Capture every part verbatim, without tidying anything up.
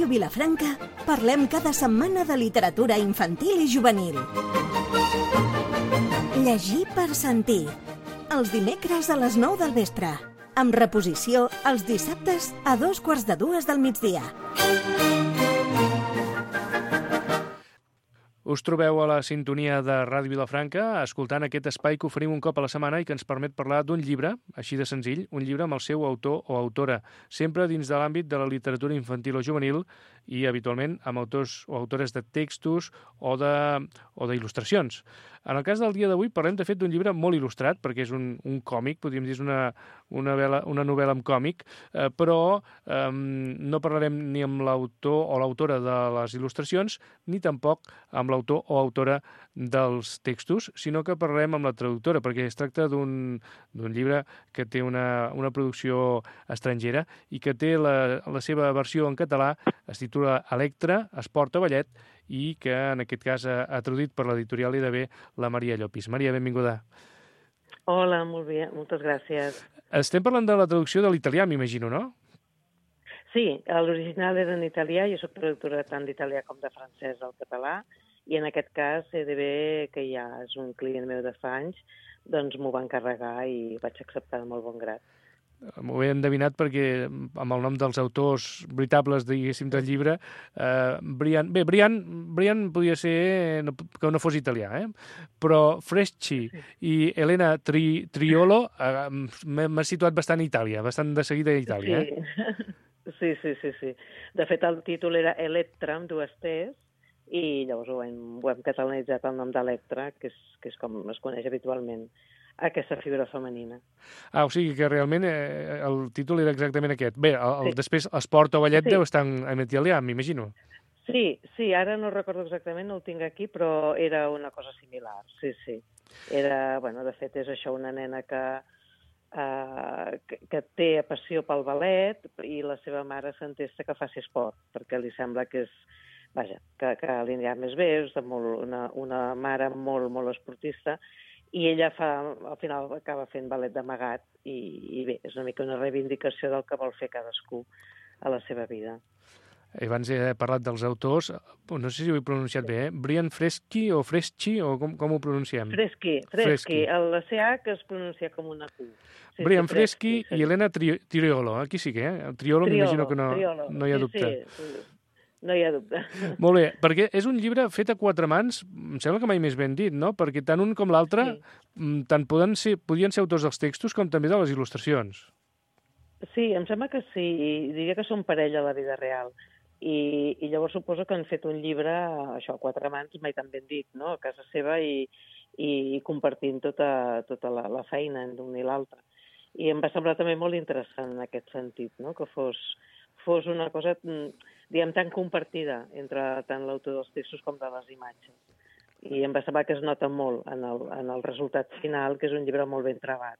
Ràdio Vilafranca parlem cada setmana de literatura infantil i juvenil. Llegir per sentir. Els dimecres a les nou del vespre. Amb reposició els dissabtes a dos quarts de dues del migdia. Us trobeu a la sintonia de Ràdio Vilafranca escoltant aquest espai que oferim un cop a la setmana i que ens permet parlar d'un llibre, així de senzill, un llibre amb el seu autor o autora, sempre dins de l'àmbit de la literatura infantil o juvenil i habitualment amb autors o autores de textos o de o d'il·lustracions. En el cas del dia d'avui parlem de fet d'un llibre molt il·lustrat perquè és un, un còmic, podríem dir és una, una, vela, una novel·la amb còmic, eh, però eh, no parlarem ni amb l'autor o l'autora de les il·lustracions ni tampoc amb l'autor o autora dels textos, sinó que parlem amb la traductora, perquè es tracta d'un llibre que té una, una producció estrangera i que té la, la seva versió en català, es titula Electra, Esport o Ballet, i que en aquest cas ha, ha traduït per l'editorial I D B la Maria Llopis. Maria, benvinguda. Hola, molt bé, moltes gràcies. Estem parlant de la traducció de l'italià, m'imagino, no? Sí, l'original era en italià, jo soc traductora tant d'italià com de francès al català, i en aquest cas I D B, que ja és un client meu de fa anys, doncs m'ho va encarregar i vaig acceptar de molt bon grat. M'ho he endevinat perquè amb el nom dels autors veritables, diguéssim, del llibre, eh, Brian... Bé, Brian, Brian podia ser no, que no fos italià, eh? Però Freschi sí. i Elena Tri, Triolo eh, m'ha situat bastant a Itàlia, bastant de seguida a Itàlia. Sí. Eh? sí, sí, sí, sí. De fet, el títol era Electra, amb dues T's, i llavors ho hem, ho hem catalanitzat el nom d'Electra, que és, que és com es coneix habitualment aquesta figura femenina. Ah, o sigui que realment eh, el títol era exactament aquest. Bé, el, sí. després esport o ballet sí. deu estar en italià, m'imagino. Sí, sí, ara no recordo exactament, no el tinc aquí, però era una cosa similar, sí, sí. Era, bueno, de fet, és això, una nena que, eh, que, que té passió pel ballet i la seva mare s'entesta que faci esport, perquè li sembla que és, vaja, que, que li anirà més bé, és molt, una, una mare molt, molt esportista, i ella fa, al final acaba fent ballet d'amagat i, i bé, és una mica una reivindicació del que vol fer cadascú a la seva vida. Abans he parlat dels autors, no sé si ho he pronunciat bé, eh? Brian Freschi o Freschi, o com, com ho pronunciem? Freschi, Freschi. La C H es pronuncia com una Q. Sí, Brian sí, Freschi sí. i Elena Tri Triolo, aquí sí que, eh? El Triolo, Triolo m'imagino que no, no hi ha dubte. Sí, sí. No hi ha dubte. Molt bé, perquè és un llibre fet a quatre mans, em sembla que mai més ben dit, no? Perquè tant un com l'altre sí. tant poden ser, podien ser autors dels textos com també de les il·lustracions. Sí, em sembla que sí, diria que són parella a la vida real. I, i llavors suposo que han fet un llibre, això, a quatre mans, mai tan ben dit, no?, a casa seva i, i compartint tota, tota la, la feina d'un i l'altre. I em va semblar també molt interessant en aquest sentit, no?, que fos, fos una cosa, diguem, tan compartida entre tant l'autor dels textos com de les imatges. I em va semblar que es nota molt en el, en el resultat final, que és un llibre molt ben trebat.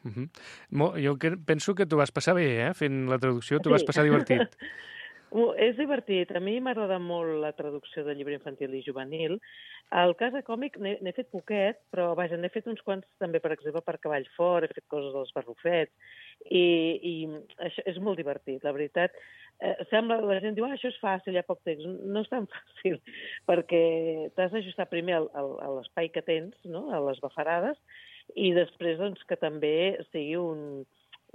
Uh-huh. Jo penso que t'ho vas passar bé, eh?, fent la traducció, t'ho sí. vas passar divertit. És divertit. A mi m'agrada molt la traducció de llibre infantil i juvenil. El cas de còmic n'he fet poquet, però vaja, n'he fet uns quants també, per exemple, per Cavall Fort, he fet coses dels barrufets, i, i això és molt divertit, la veritat. Eh, sembla, la gent diu, ah, això és fàcil, hi ha poc text. No és tan fàcil, perquè t'has d'ajustar primer al, al, a l'espai que tens, no?, a les bafarades, i després doncs, que també sigui un...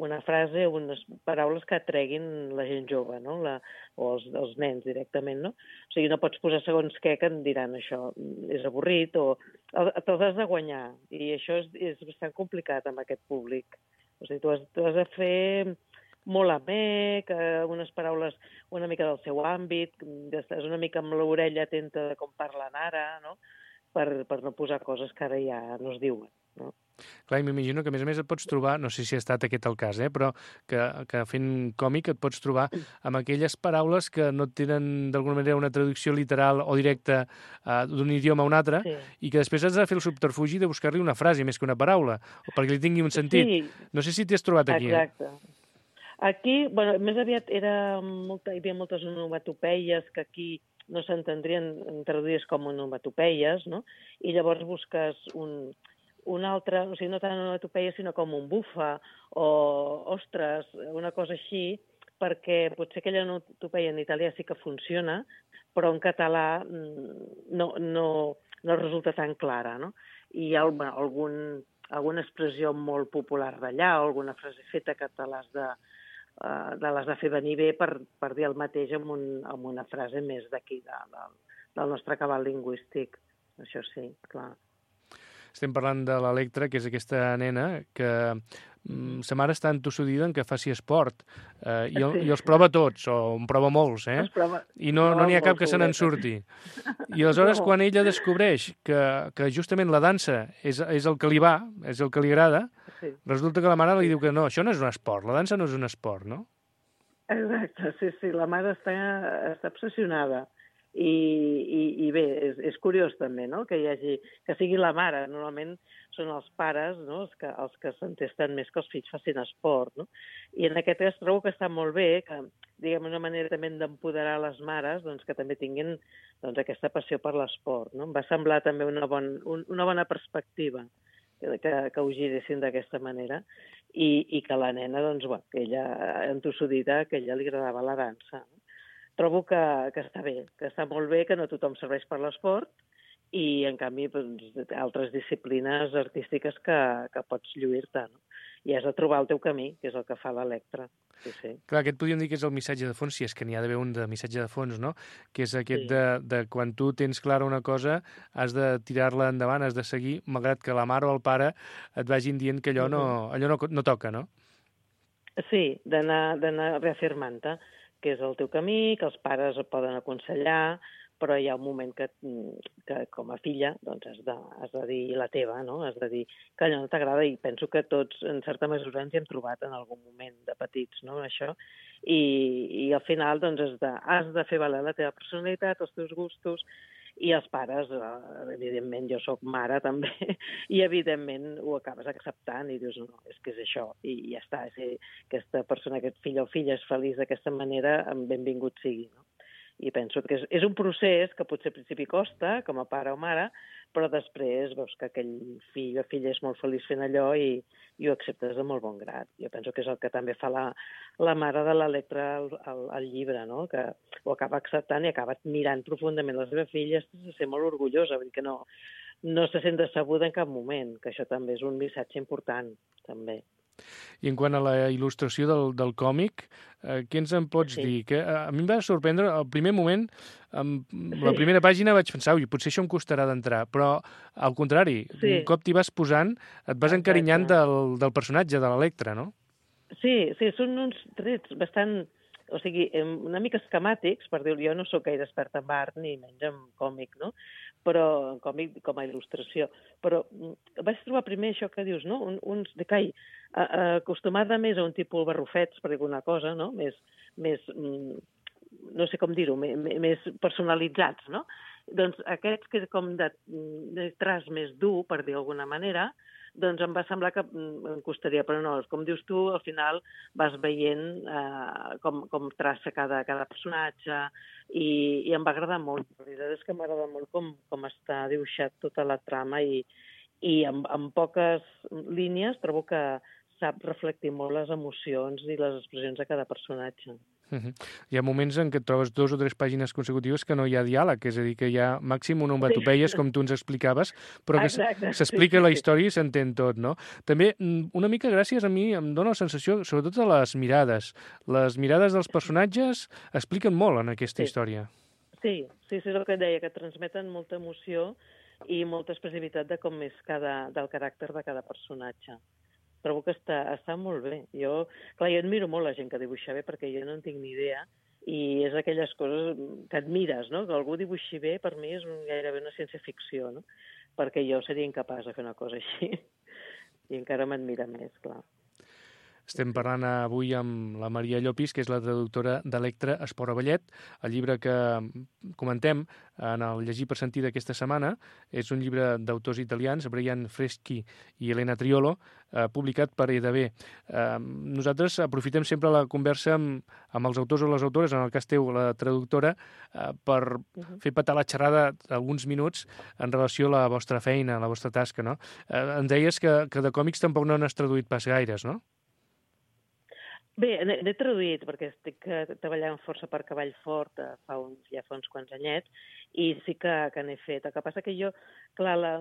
una frase, unes paraules que atreguin la gent jove, no? La, o els, els nens directament, no? O sigui, no pots posar segons què que em diran això, és avorrit, o te'ls has de guanyar, i això és, és bastant complicat amb aquest públic. O sigui, tu has, tu has de fer molt amè, que unes paraules una mica del seu àmbit, estàs una mica amb l'orella atenta de com parlen ara, no?, per, per no posar coses que ara ja no es diuen, no? Clar, i m'imagino que a més a més et pots trobar, no sé si ha estat aquest el cas, eh, però que, que fent còmic et pots trobar amb aquelles paraules que no tenen d'alguna manera una traducció literal o directa uh, d'un idioma a un altre, sí. i que després has de fer el subterfugi de buscar-li una frase més que una paraula, perquè li tingui un sentit. Sí. No sé si t'hi has trobat aquí. Exacte. Eh? Aquí, bueno, més aviat era molta, hi havia moltes onomatopeies que aquí no s'entendrien traduïdes com onomatopeies, no? I llavors busques un... un altre, o sigui, no tant una onomatopeia, sinó com un bufa o ostres, una cosa així, perquè potser aquella onomatopeia en italià sí que funciona, però en català no, no, no resulta tan clara, no? I hi ha bueno, algun, alguna expressió molt popular d'allà, o alguna frase feta que te l'has de, uh, de, l'has de fer venir bé per, per dir el mateix amb, un, amb una frase més d'aquí, de, de, del nostre cabal lingüístic. Això sí, clar. Estem parlant de l'Electra, que és aquesta nena que mm, sa mare està entossudida en que faci esport eh, i, el, sí. i els prova tots, o en prova molts, eh? Prova, I no n'hi no ha cap que se n'en surti. I aleshores, no. quan ella descobreix que, que justament la dansa és, és el que li va, és el que li agrada, sí. resulta que la mare li diu que no, això no és un esport, la dansa no és un esport, no? Exacte, sí, sí, la mare està, està obsessionada. I, i, i bé, és, és curiós també, no?, que hi hagi, que sigui la mare. Normalment són els pares, no?, els que, els que s'entesten més que els fills facin esport, no? I en aquest cas trobo que està molt bé, que, diguem, una manera també d'empoderar les mares, doncs, que també tinguin doncs, aquesta passió per l'esport, no? Em va semblar també una, bon, un, una bona perspectiva que, que, que ho giressin d'aquesta manera i, i que la nena, doncs, bueno, que ella, entossudida, que a ella li agradava la dansa, no? Trobo que, que està bé, que està molt bé, que no tothom serveix per l'esport i, en canvi, doncs, altres disciplines artístiques que, que pots lluir-te, no? I has de trobar el teu camí, que és el que fa l'Electra. Sí, sí. Clar, aquest podríem dir que és el missatge de fons, si és que n'hi ha d'haver un de missatge de fons, no? Que és aquest sí. de, de quan tu tens clara una cosa, has de tirar-la endavant, has de seguir, malgrat que la mare o el pare et vagin dient que allò no, allò no, no toca, no? Sí, d'anar d'anar reafirmant-te que és el teu camí, que els pares et poden aconsellar, però hi ha un moment que, que com a filla, doncs has de, has de dir la teva, no? Has de dir que allò no t'agrada, i penso que tots, en certa mesura, ens hi hem trobat en algun moment de petits, no?, això. I, i al final, doncs, has de, has de fer valer la teva personalitat, els teus gustos, i els pares, evidentment, jo sóc mare també, i evidentment ho acabes acceptant i dius, no, és que és això, i ja està, si aquesta persona, aquest fill o filla és feliç d'aquesta manera, benvingut sigui, no? I penso que és, és un procés que potser al principi costa, com a pare o mare, però després veus que aquell fill o filla és molt feliç fent allò i, i ho acceptes de molt bon grat. Jo penso que és el que també fa la, la mare de l'Electra al, al, al llibre, no?, que ho acaba acceptant i acaba mirant profundament la seva filla, se sent molt orgullosa, vull dir que no, no se sent decebuda en cap moment, que això també és un missatge important, també. I en quant a la il·lustració del, del còmic, eh, què ens en pots sí. dir? Que, eh, a mi em va sorprendre, al primer moment, amb la primera pàgina vaig pensar, ui, potser això em costarà d'entrar, però al contrari, sí. un cop t'hi vas posant, et vas Exacte. encarinyant del, del personatge, de l'Electra, no? Sí, sí, són uns trets bastant, o sigui, una mica esquemàtics, per dir-ho, jo no sóc gaire experta en art, ni menys en còmic, no?, però en còmic com a il·lustració. Però vaig trobar primer això que dius, no?, Un, uns de cai, acostumada més a un tipus barrufets, per dir alguna cosa, no?, més, més no sé com dir-ho, més personalitzats, no? Doncs aquests que com de, de traç més dur, per dir d'alguna manera, doncs em va semblar que em costaria, però no, com dius tu, al final vas veient eh, com, com traça cada, cada personatge i, i em va agradar molt. La veritat és que m'agrada molt com, com està dibuixat tota la trama i, i amb, amb poques línies trobo que sap reflectir molt les emocions i les expressions de cada personatge. Uh-huh. Hi ha moments en què et trobes dos o tres pàgines consecutives que no hi ha diàleg, és a dir, que hi ha màxim onomatopeies, sí. com tu ens explicaves, però que s'explica sí, la història i s'entén tot, no? També, una mica gràcies a mi, em dóna la sensació, sobretot de les mirades. Les mirades dels personatges expliquen molt en aquesta sí. història. Sí, sí, sí, és el que et deia, que transmeten molta emoció i molta expressivitat de com és cada, del caràcter de cada personatge. Trobo que està, està molt bé. Jo, clar, jo admiro molt la gent que dibuixa bé perquè jo no en tinc ni idea i és aquelles coses que admires, no? Que algú dibuixi bé, per mi és un, gairebé una ciència-ficció, no? Perquè jo seria incapaç de fer una cosa així i encara m'admira més, clar. Estem parlant avui amb la Maria Llopis, que és la traductora d'Electra Espora Ballet. El llibre que comentem en el Llegir per sentir d'aquesta setmana és un llibre d'autors italians, Brian Freschi i Elena Triolo, eh, publicat per E D B. Eh, nosaltres aprofitem sempre la conversa amb, amb els autors o les autores, en el cas teu, la traductora, eh, per uh-huh. fer petar la xerrada alguns minuts en relació a la vostra feina, a la vostra tasca, no? Eh, ens deies que, que de còmics tampoc no n'has traduït pas gaires, no? Bé, n'he traduït, perquè estic treballant força per Cavall Fort fa uns, ja fa uns quants anyets, i sí que, que n'he fet. El que passa que jo, clar, la,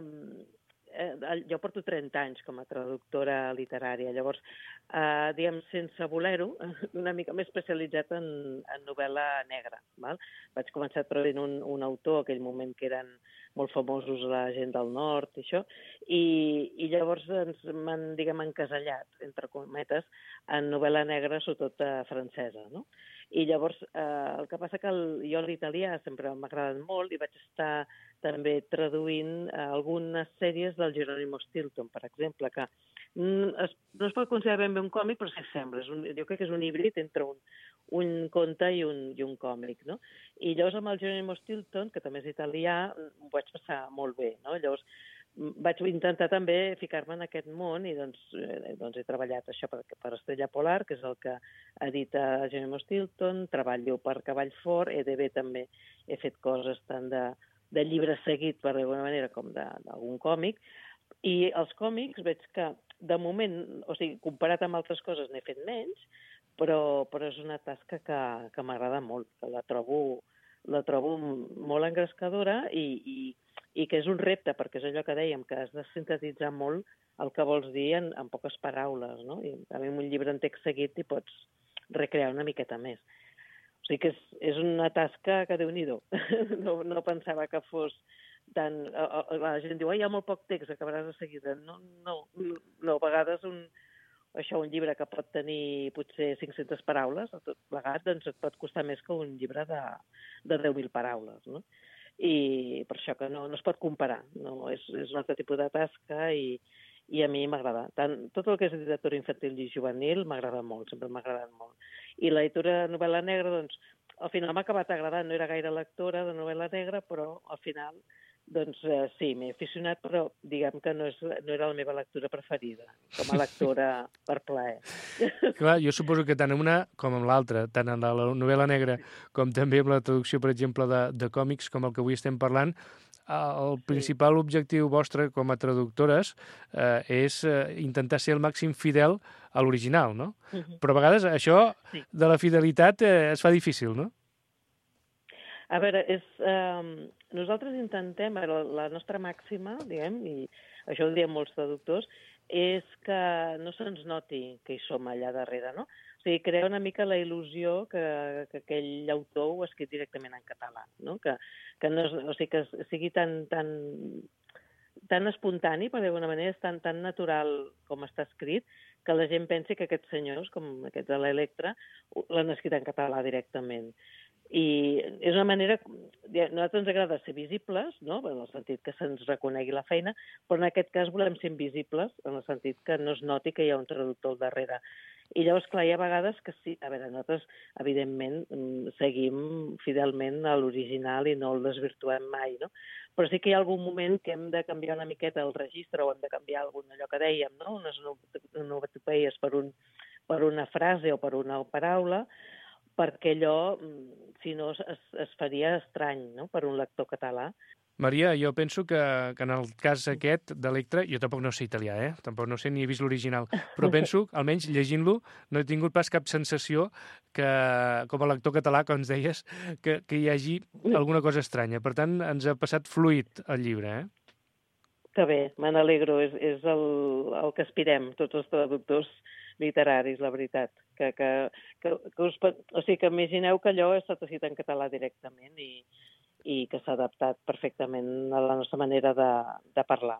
eh, jo porto trenta anys com a traductora literària, llavors, eh, diguem, sense voler-ho, una mica més especialitzat en, en novel·la negra. Val? Vaig començar traduint un, un autor, aquell moment que eren molt famosos la gent del nord i això, i, i llavors ens m'han, diguem, encasellat, entre cometes, en novel·la negra, sobretot eh, francesa, no? I llavors, eh, el que passa que el, jo l'italià sempre m'ha agradat molt i vaig estar també traduint eh, algunes sèries del Jerónimo Stilton, per exemple, que mm, es, no es pot considerar ben bé un còmic, però sí que sembla. És un, jo crec que és un híbrid entre un, un conte i un, i un còmic, no? I llavors amb el Jerónimo Stilton, que també és italià, ho vaig passar molt bé, no? Llavors vaig intentar també ficar-me en aquest món i doncs, eh, doncs he treballat això per, per Estrella Polar, que és el que edita Jerónimo Stilton, treballo per Cavall Fort, E D B també he fet coses tant de, de llibre seguit, per d'alguna manera, com d'algun còmic, i els còmics veig que, de moment, o sigui, comparat amb altres coses n'he fet menys, però, però és una tasca que, que m'agrada molt, que la trobo, la trobo molt engrescadora i, i, i que és un repte, perquè és allò que dèiem, que has de sintetitzar molt el que vols dir en, en poques paraules, no? I també en un llibre en text seguit hi pots recrear una miqueta més. O sigui que és, és una tasca que Déu-n'hi-do. No, no pensava que fos tan... La gent diu, hi ha molt poc text, acabaràs de seguida. No, no, no, a vegades un, això, un llibre que pot tenir potser cinc-centes paraules, a tot plegat, doncs et pot costar més que un llibre de, de deu mil paraules, no? I per això que no, no es pot comparar. No, és, és un altre tipus de tasca i, i a mi m'agrada. Tant, tot el que és literatura infantil i juvenil m'agrada molt, sempre m'ha agradat molt. I la literatura novel·la negra, doncs, al final m'ha acabat agradant. No era gaire lectora de novel·la negra, però al final, doncs eh, sí, m'he aficionat, però diguem que no, és, no era la meva lectura preferida, com a lectora per plaer. Clar, jo suposo que tant en una com en l'altra, tant en la novel·la negra com també en la traducció, per exemple, de, de còmics, com el que avui estem parlant, el principal sí. objectiu vostre com a traductores eh, és eh, intentar ser el màxim fidel a l'original, no? Uh-huh. Però a vegades això sí. de la fidelitat eh, es fa difícil, no? A veure, és, eh, nosaltres intentem, la, la nostra màxima, diguem, i això ho diem molts traductors, és que no se'ns noti que hi som allà darrere, no? O sigui, crear una mica la il·lusió que, que aquell autor ho ha escrit directament en català, no? Que, que, no, o sigui, que sigui tan, tan, tan espontani, per d'alguna manera, és tan, tan natural com està escrit, que la gent pensi que aquests senyors, com aquests de l'Electra, l'han escrit en català directament. I és una manera... A nosaltres ens agrada ser visibles, no? En el sentit que se'ns reconegui la feina, però en aquest cas volem ser invisibles, en el sentit que no es noti que hi ha un traductor al darrere. I llavors, clar, hi ha vegades que sí... A veure, nosaltres, evidentment, seguim fidelment a l'original i no el desvirtuem mai, no? Però sí que hi ha algun moment que hem de canviar una miqueta el registre o hem de canviar alguna, allò que dèiem, no? Unes onomatopeies per, un, per una frase o per una paraula, perquè allò, si no, es, es faria estrany, no?, per un lector català. Maria, jo penso que, que en el cas aquest d'Electra, jo tampoc no sé italià, eh? Tampoc no sé ni he vist l'original, però penso, almenys llegint-lo, no he tingut pas cap sensació que, com a lector català, com ens deies, que, que hi hagi alguna cosa estranya. Per tant, ens ha passat fluid el llibre, eh? Que bé, me n'alegro, és, és el, el que aspirem, tots els traductors literaris, la veritat. Que, que, que, que us, o sigui, que imagineu que allò ha estat escrit en català directament i, i que s'ha adaptat perfectament a la nostra manera de, de parlar.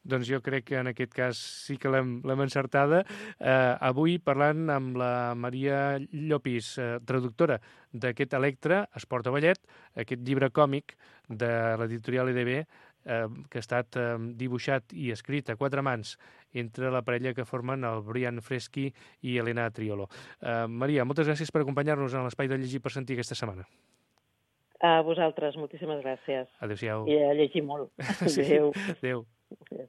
Doncs jo crec que en aquest cas sí que l'hem encertada. Eh, avui parlant amb la Maria Llopis, eh, traductora d'aquest Electra, Esport a Ballet, aquest llibre còmic de l'editorial E D B, eh, que ha estat eh, dibuixat i escrit a quatre mans entre la parella que formen el Brian Freschi i Elena Triolo. Eh, Maria, moltes gràcies per acompanyar-nos en l'Espai de Llegir per Sentir aquesta setmana. A vosaltres, moltíssimes gràcies. Adéu-siau. I a llegir molt. Sí. Adéu. Adéu. Adéu.